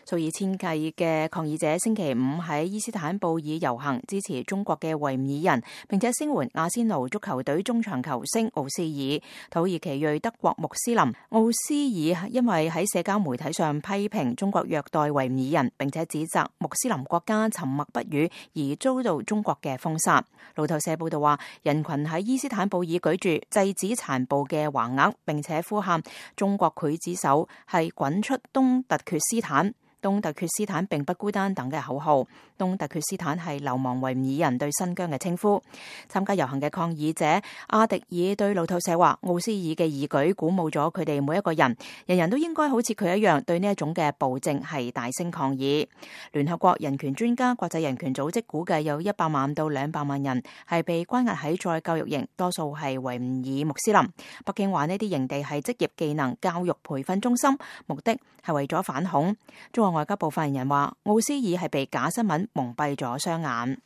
數以千計嘅抗議者星期五喺伊斯坦布爾遊行，支持中國嘅維吾爾人，並且聲援阿仙奴足球隊中場球星奧斯爾。土耳其裔德國穆斯林奧斯爾因為喺社交媒體上批評中國虐待維吾爾人，並且指責穆斯林國家沉默不語，而遭到中國嘅封殺。路透社報道話，人群喺伊斯坦布爾舉住制止殘暴嘅橫額，並且呼喊中國劊子手係滾出東突厥斯坦。東突厥斯坦並不孤單等嘅口號。東突厥斯坦係流亡維吾爾人對新疆嘅稱呼。參加遊行嘅抗議者阿迪爾對路透社話，奧斯爾嘅義舉鼓舞咗佢哋每一個人，人人都應該好似佢一樣對呢一種嘅暴政係大聲抗議。聯合國人權專家、國際人權組織估計有100萬到200萬人係被關押喺再教育營，多數係維吾爾穆斯林。北京話呢啲營地係職業技能教育培訓中心，目的係為咗反恐。中國外交部發言人話，奧斯爾係被假新聞蒙蔽咗雙眼。